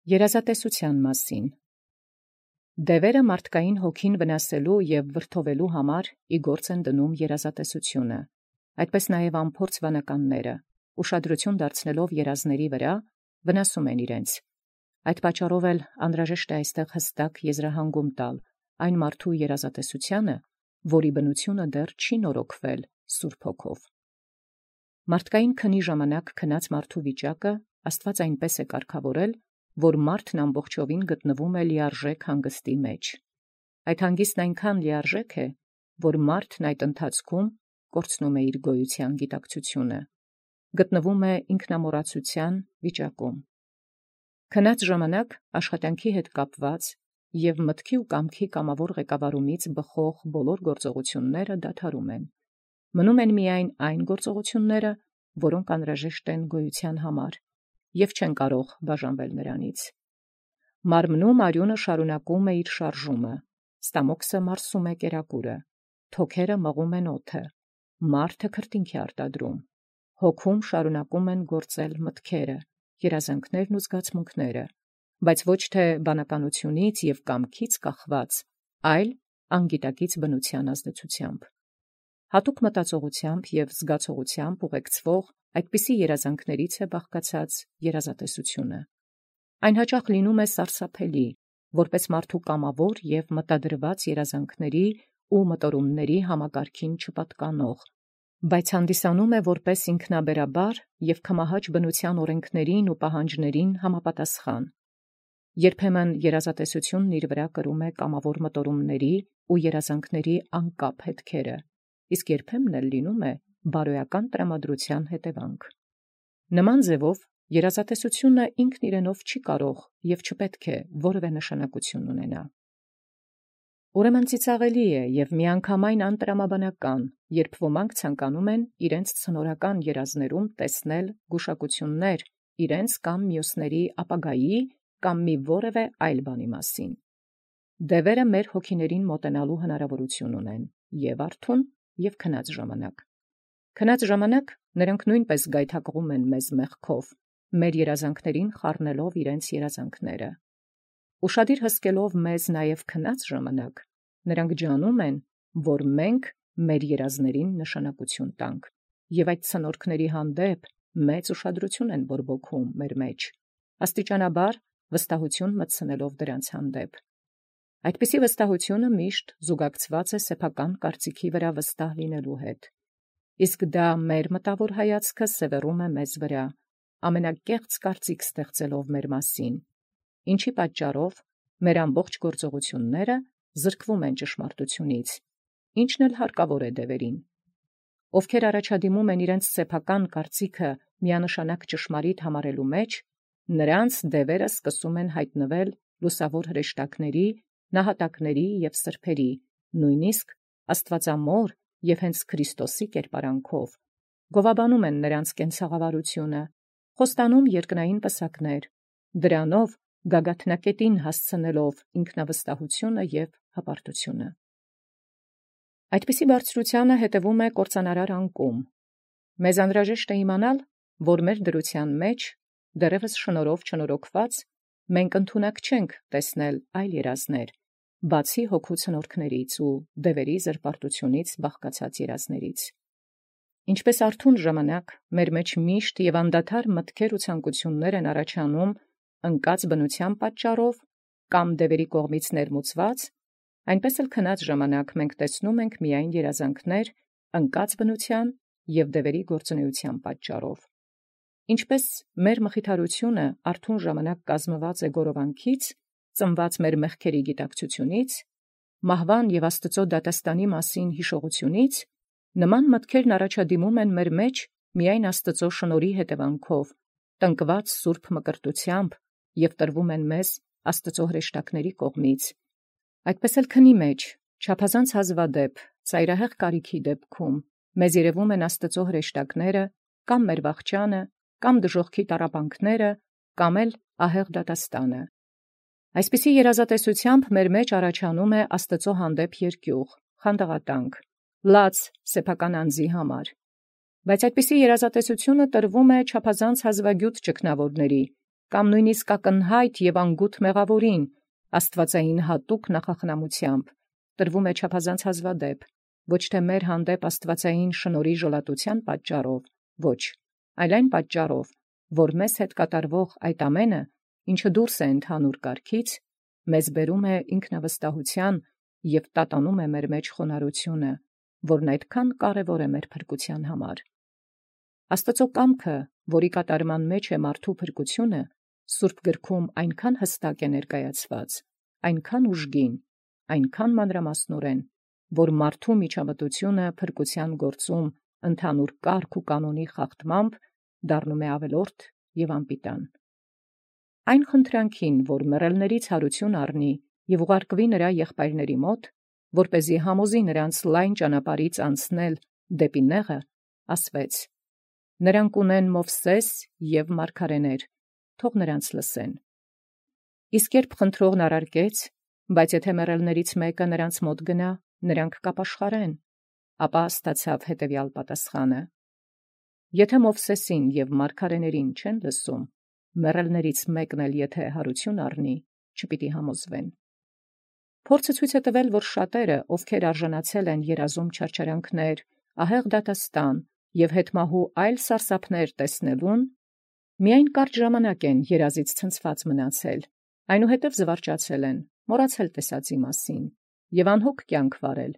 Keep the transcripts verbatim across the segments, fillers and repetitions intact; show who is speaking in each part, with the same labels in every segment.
Speaker 1: Երազատեսության մասին։ Դևերը մարդկային հոգին վնասելու և վրդովելու համար ի գործ են դնում երազատեսությունը, այդպես նաև անփորձ վանականները, ուշադրություն դարձնելով երազների վրա, վնասում են իրենց։ Այդ պատճառով էլ անհրաժեշտ է այստեղ հստակ եզրահանգում տալ այն մարդու երազատեսությանը, որի բնությունը դեռ չի նորոգվել Սուրբ Հոգով։ Մարդկային քնի ժամանակ քնած մարդու վիճակը Աստված այնպես է կարգավորել, որ մարդն ամբողջովին գտնվում է լիարժեք հանգստի մեջ։ Այդ հանգիստն այնքան լիարժեք է, որ մարդն այդ ընթացքում կորցնում է իր գոյության գիտակցությունը, գտնվում է ինքնամոռացության վիճակում։ Քնած ժամանակ աշխատանքի հետ կապված և մտքի ու կամքի կամավոր ղեկավարումից բխող բոլոր գործողությունները դադարում են։ Մնում են միայն այն գործողությունները, որոնք անհրաժեշտ են գոյության համար, և չեն կարող բաժանվել նրանից։ Մարմնում արյունը շարունակում է իր շարժումը, ստամոքսը մարսում է կերակուրը, թոքերը մղում են օդը, մարդը քրտինք է արտադրում, հոգում շարունակում են գործել մտքերը, երազանքներն ու զգացմունքները, բայց ոչ թե բանականությունից և կամքից կախված, այլ անգիտակից բնության ազդեցությամբ։ Հատուկ մտածողությամբ և զգացողությամբ ուղեկցվող այդպիսի երազանքներից է բաղկացած երազատեսությունը։ Այն հաճախ լինում է սարսափելի, որպես մարդու կամավոր և մտադրված երազանքների ու մտորումների համակարգին չպատկանող, բայց հանդիսանում է որպես ինքնաբերաբար և քմահաճ բնության օրենքներին ու պահանջներին համապատասխան։ Երբեմն երազատեսությունն իր վրա կրում է կամավոր մտորումների ու երազանքների անկապ հետքերը, իսկ երբեմն էլ լինում է բարոյական տրամադրության հետևանք։ Նման ձևով երազատեսությունը ինքն իրենով չի կարող և չպետք է որևէ նշանակություն ունենա։ Ուրեմն ծիծաղելի է և միանգամայն անտրամաբանական, երբ ոմանք ցանկանում են իրենց ցնորական երազներում տեսնել գուշակություններ իրենց կամ մյուսների ապագայի կամ մի որևէ այլ բանի մասին։ Դևերը մեր հոգիներին մոտենալու հնարավորություն ունեն և՛ արթուն, և՛ քնած ժամանակ։ Քնած ժամանակ նրանք նույնպես գայթակղում են մեզ մեղքով, մեր երազանքներին խառնելով իրենց երազանքները։ Ուշադիր հսկելով մեզ նաև քնած ժամանակ, նրանք ջանում են, որ մենք մեր երազներին նշանակություն տանք, և այդ ցնորքների հանդեպ մեծ ուշադրություն են բորբոքում մեր մեջ, աստիճանաբար վստահություն մտցնելով դրանց հանդեպ։ Այդպիսի վստահությունը միշտ զուգակցված է սեփական կարծիքի վրա վստահ լինելու հետ, իսկ դա մեր մտավոր հայացքը սևեռում է մեզ վրա, ամենակեղծ կարծիք ստեղծելով մեր մասին, ինչի պատճառով մեր ամբողջ գործողությունները զրկվում են ճշմարտությունից, ինչն էլ հարկավոր է դևերին, ովքեր առաջադիմում են իրենց սեփական կարծիքը միանշանակ ճշմարիտ համարելու մեջ, նրանց դևերը սկսում են հայտնվել լուսավոր հրեշտակների, նահատակների և սրբերի, նույնիսկ աստվածամոր և հենց Քրիստոսի կերպարանքով, գովաբանում են նրանց կենցաղավարությունը, խոստանում երկնային պսակներ, դրանով գագաթնակետին հասցնելով ինքնավստահությունը և հպարտությունը։ Այդպիսի բարձրությանը հետևում է կործանարար անկում։ Մեզ անհրաժեշտ է իմանալ, որ մեր դրության մեջ, դեռևս շնորհով չնորոգված, մենք ընդունակ չենք տեսնել այլ երազներ, բացի հոգու ցնորքներից ու դևերի զրպարտությունից բաղկացած երազներից։ Ինչպես արթուն ժամանակ մեր մեջ միշտ և անդադար մտքեր ու ցանկություններ են առաջանում ընկած բնության պատճառով կամ դևերի կողմից ներմուծված, այնպես էլ քնած ժամանակ մենք տեսնում ենք միայն երազանքներ ընկած բնության և դևերի գործունեության պատճառով։ Ինչպես մեր մխիթարությունը արթուն ժամանակ կազմված է գորովանքից, ծնված մեր մեղքերի գիտակցությունից, մահվան և Աստծո դատաստանի մասին հիշողությունից, նման մտքերն առաջադիմում են մեր մեջ միայն Աստծո շնորհի հետևանքով, տնկված սուրբ մկրտությամբ և տրվում են մեզ Աստծո հրեշտակների կողմից։ Այդպես էլ քնի մեջ, չափազանց հազվադեպ, ծայրահեղ կարիքի դեպքում, մեզ երևում են Աստծո հրեշտակները, կամ մեր վախճանը, կամ դժոխքի տառապանքները, կամ էլ ահեղ դատաստանը։ Այսպիսի երազատեսությամբ մեր մեջ առաջանում է Աստծո հանդեպ երկյուղ, խանդաղատանք, լաց սեփական անձի համար։ Բայց այդպիսի երազատեսությունը տրվում է չափազանց հազվագյուտ ճգնավորների, կամ նույնիսկ ակնհայտ և անգութ մեղավորին, աստվածային հատուկ նախախնամությամբ, տրվում է չափազանց հազվադեպ, ոչ թե մեր հանդեպ աստվածային շնորհի ժլատության պատճառով, ոչ, այլ այն պատճառով, որ մեզ հետ կատարվող այդ ամենը, ինչը դուրս է ընդհանուր կարգից, մեզ բերում է ինքնավստահության և տատանում է մեր մեջ խոնարհությունը, որն այդքան կարևոր է մեր փրկության համար։ Աստծո կամքը, որի կատարման մեջ է մարդու փրկությունը, Սուրբ գրքում այնքան հստակ է ներկայացված, այնքան ուժգին, այնքան մանրամասնորեն, որ մարդու միջամտությունը փրկության գործում ընդհանուր կարգ ու կանոնի խախտմամբ դառնում է ավելորդ և անպիտան։ Այն խնդրանքին, որ մեռելներից հարություն առնի և ուղարկվի նրա եղբայրների մոտ, որպեսզի համոզի նրանց լայն ճանապարհից անցնել դեպի նեղը, ասվեց. «Նրանք ունեն Մովսես և մարգարեներ, թող նրանց լսեն»։ Իսկ երբ խնդրողն առարկեց, բայց եթե մեռելներից մեկը նրանց մոտ գնա, նրանք կապաշխարեն, ապա ստացավ հետևյալ պատասխանը. «Եթե Մովսեսին և մարգարեներին չեն լսում, մեռելներից մեկն էլ եթե հարություն առնի, չպիտի համոզվեն»։ Փորձը ցույց է տվել, որ շատերը, ովքեր արժանացել են երազում չարչարանքներ, ահեղ դատաստան և հետմահու այլ սարսափներ տեսնելուն, միայն կարճ ժամանակ են երազից ցնցված մնացել, այնուհետև զվարճացել են, մոռացել տեսածի մասին և անհոգ կյանք վարել,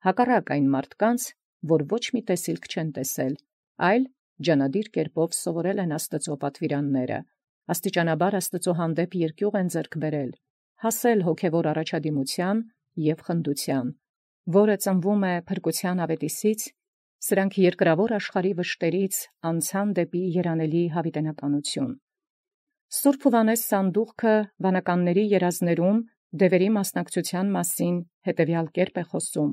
Speaker 1: հակառակ այն մարդկանց, որ ոչ մի տեսիլք չեն տեսել, այլ ջանադիր կերպով սովորել են Աստծո պատվիրանները, աստիճանաբար Աստծո հանդեպ երկյուղ են ձեռք բերել, հասել հոգևոր առաջադիմության և խնդության, որը ծնվում է փրկության ավետիսից, սրանք երկրավոր աշխարհի վշտերից անցան դեպի երանելի հավիտենականություն։ Սուրբ Հովհաննես Սանդուղքը վանականների երազներում դևերի մասնակցության մասին հետևյալ կերպ է խոսում.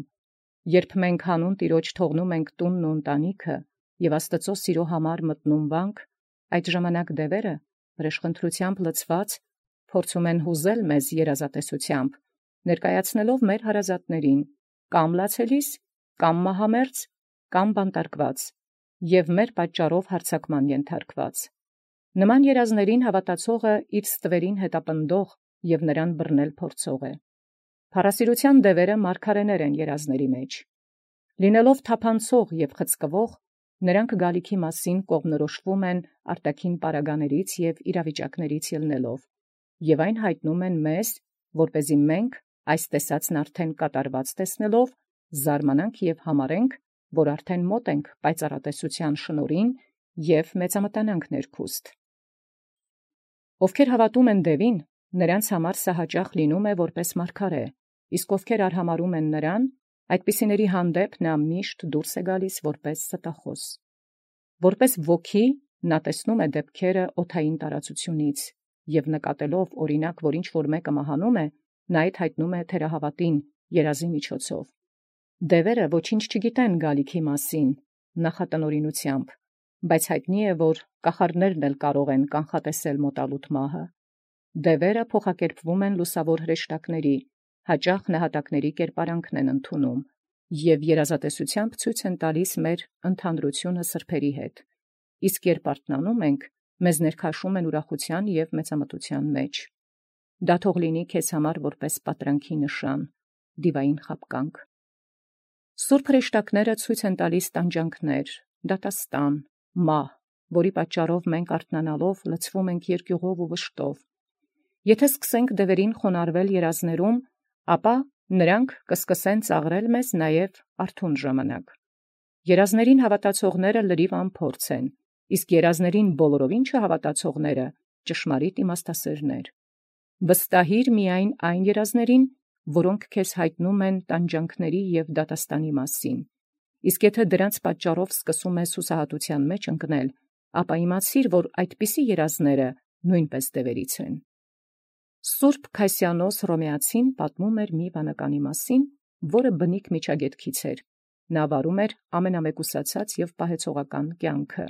Speaker 1: «Երբ մենք հանուն Տիրոջ թողնում ենք տունն ու ընտանիքը և Աստծո սիրո համար մտնում վանք, այդ ժամանակ դևերը, վրեժխնդրությամբ լցված, փորձում են հուզել մեզ երազատեսությամբ, ներկայացնելով մեր հարազատներին կամ լացելիս, կամ մահամերձ, կամ բանտարկված և մեր պատճառով հարձակման ենթարկված։ Նման երազներին հավատացողը իր ստվերին հետապնդող և նրան բռնել փորձող է։ Փառասիրության դևերը մարգարեներ են երազների մեջ։ Լինելով թափանցող և խցկվող, նրանք գալիքի մասին կողմնորոշվում են արտաքին պարագաներից և իրավիճակներից ելնելով, և այն հայտնում են մեզ, որպեսզի մենք, այս տեսածն արդեն կատարված տեսնելով, զարմանանք և համարենք, որ արդեն մոտ ենք պայծառատեսության շնորհին և մեծամտանանք ներքուստ։ Ովքեր հավատում են դևին, նրանց համար սա հաճախ լինում է որպես մարգարե, իսկ ովքեր արհամարհում են նրան, այդպիսիների հանդեպ նա միշտ դուրս է գալիս որպես ստախոս։ Որպես ոգի նա տեսնում է դեպքերը օդային տարածությունից և նկատելով օրինակ, որ ինչ-որ մեկը մահանում է, նա այդ հայտնում է թերահավատին երազի միջոցով։ Դևերը ոչինչ չգիտեն գալիքի մասին նախատնօրինությամբ, բայց հայտնի է, որ կախարդներն էլ կարող են կանխատեսել մոտալուտ մահը։ Դևերը փոխակերպվում են լուսավոր հրեշտակների, հաճախ նահատակների կերպարանքն են ընդունում և երազատեսությամբ ցույց են տալիս մեր ընդհանրությունը սրբերի հետ, իսկ երբ արթնանում ենք, մեզ ներքաշում են ուրախության և մեծամտության մեջ։ Դա թող լինի քեզ համար որպես պատրանքի նշան, դիվային խաբկանք։ Սուրբ հրեշտակները ցույց են տալիս տանջանքներ, դատաստան, մահ, որի պատճառով մենք արթնանալով լցվում ենք երկյուղով ու վշտով։ Եթե սկսենք դևերին խոնարհվել երազներում, ապա նրանք կսկսեն ծաղրել մեզ նաև արթուն ժամանակ։ Երազներին հավատացողները լրիվ անփորձ են, իսկ երազներին բոլորովին չհավատացողները ճշմարիտ իմաստասերներ։ Վստահիր միայն այն երազներին, որոնք քեզ հայտնում են տանջանքների և դատաստանի մասին, իսկ եթե դրանց պատճառով սկսում ես հուսահատության մեջ ընկնել, ապա իմացիր, որ այդպիսի երազները նույնպես դևերից են։ Սուրբ Քայսիանոս Հռոմեացին պատմում էր մի վանականի մասին, որը բնիկ միջագետքից էր։ Նա վարում էր ամենամեկուսացած և պահեցողական կյանքը,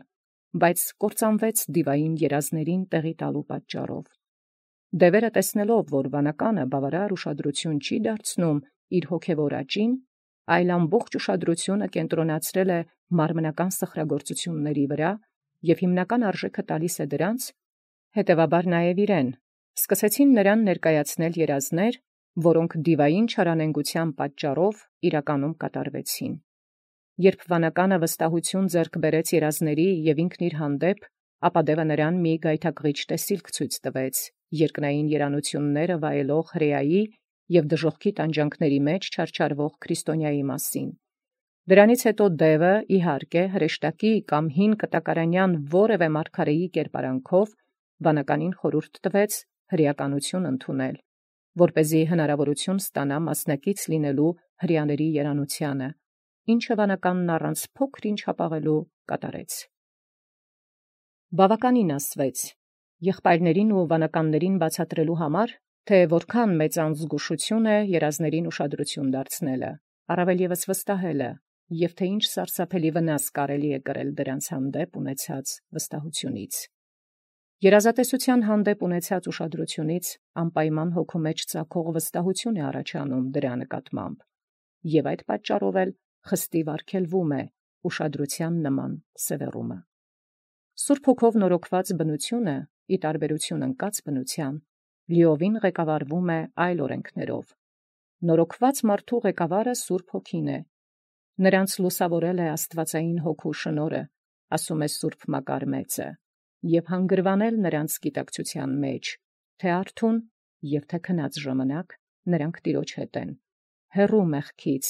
Speaker 1: բայց կործանվեց դիվային երազներին տեղի տալու պատճառով։ Դևերը տեսնելով, որ վանականը բավարար ուշադրություն չի դարձնում իր հոգևոր աճին, այլ ամբողջ ուշադրությունը կենտրոնացրել է մարմնական սխրագործությունների վրա և հիմնական արժեքը տալիս է դրանց, Հետևաբար նաև իրեն սկսեցին նրան ներկայացնել երազներ, որոնք դիվային չարանենգության պատճառով իրականում կատարվեցին։ Երբ վանականը վստահություն ձեռք բերեց երազների և ինքն իր հանդեպ, ապա դևը նրան մի գայթակղիչ տեսիլք ցույց տվեց, երկնային երանությունները վայելող հրեայի և դժոխքի տանջանքների մեջ չարչարվող քրիստոնյայի մասին։ Դրանից հետո դևը, իհարկե, հրեշտակի կամ հին կտակարանյան որևէ մարգարեի կերպարանքով վանականին խորհուրդ տվեց հրեականություն ընդունել, որպեսզի հնարավորություն ստանա մասնակից լինելու հրեաների երանությանը, ինչը վանականն առանց փոքր-ինչ հապաղելու կատարեց։ Բավականին ասվեց եղբայրներին ու վանականներին բացատրելու համար, թե որքան մեծ անզգուշություն է երազներին ուշադրություն դարձնելը, առավել ևս վստահելը, և թե ինչ սարսափելի վնաս կարելի է կրել դրանց հանդեպ ունեցած վստահությունից։ Երազատեսության հանդեպ ունեցած ուշադրությունից անպայման հոգու մեջ ծագող վստահություն է առաջանում դրա նկատմամբ, և այդ պատճառով էլ խստիվ արգելվում է ուշադրության նման սևեռումը։ Սուրբ Հոգով նորոգված բնությունը, ի տարբերություն ընկած բնության, լիովին ղեկավարվում է այլ օրենքներով։ Նորոգված մարդու ղեկավարը Սուրբ Հոգին է։ Նրանց լուսավորել է աստվածային հոգու շնորհը, ասում է Սուրբ Մակար մեծը, և հանգրվանել նրանց գիտակցության մեջ, թե արթուն և թե քնած ժամանակ նրանք տիրոջ հետ են, հեռու մեղքից,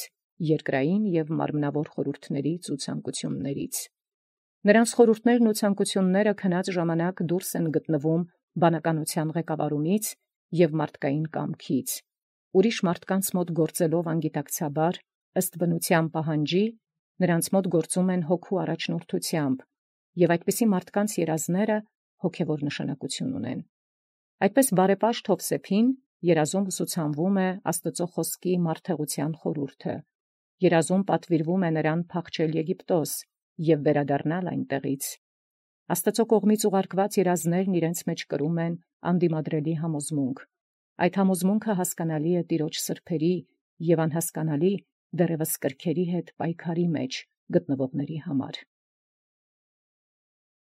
Speaker 1: երկրային և մարմնավոր խորհուրդներից ու ցանկություններից։ Նրանց խորհուրդներն ու ցանկությունները քնած ժամանակ դուրս են գտնվում բանականության ղեկավարումից և մարդկային կամքից, ուրիշ մարդկանց մոտ գործելով անգիտակցաբար, ըստ բնության պահանջի, նրանց մոտ գործում են հոգու առաջնորդությամբ, և այդպիսի մարդկանց երազները հոգևոր նշանակություն ունեն։ Այդպես բարեպաշտ Հովսեփին երազում ուսուցանվում է Աստծո խոսքի մարդեղության խորհուրդը, երազում պատվիրվում է նրան փախչել Եգիպտոս և վերադառնալ այնտեղից։ Աստծո կողմից ուղարկված երազներն իրենց մեջ կրում են անդիմադրելի համոզմունք։ Այդ համոզմունքը հասկանալի է տիրոջ սրբերի և անհասկանալի դեռևս կրքերի հետ պայքարի մեջ գտնվողների համար։